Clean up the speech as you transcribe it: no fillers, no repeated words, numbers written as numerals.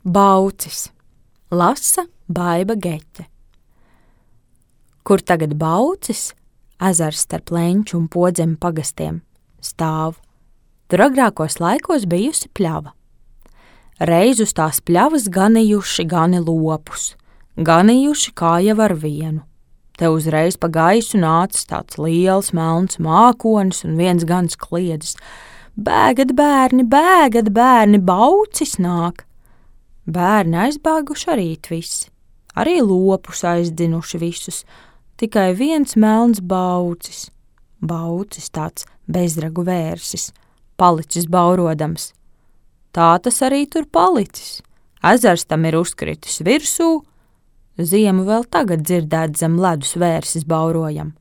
Baucis, lasa Baiba Geķe. Kur tagad Baucis, ezers starp Leņķu un Podzemi pagastiem, stāv. Tur agrākos laikos bijusi pļava. Reiz uz tās pļavas ganījuši gani lopus, ganījuši kā jau ar vienu. Te uzreiz pa gaisu nācis tāds liels melns mākonis un viens gans kliedzis: Bēgat, bērni, Baucis nāk! Bērni aizbēguši arī visi, arī lopus aizdzinuši visus, tikai viens melns Baucis. Baucis tāds bezragu vērsis, palicis baurodams. Tā tas arī tur palicis. Ezers tam ir uzkritis virsū, ziemu vēl tagad dzirdēt zem ledus vērsis baurojam.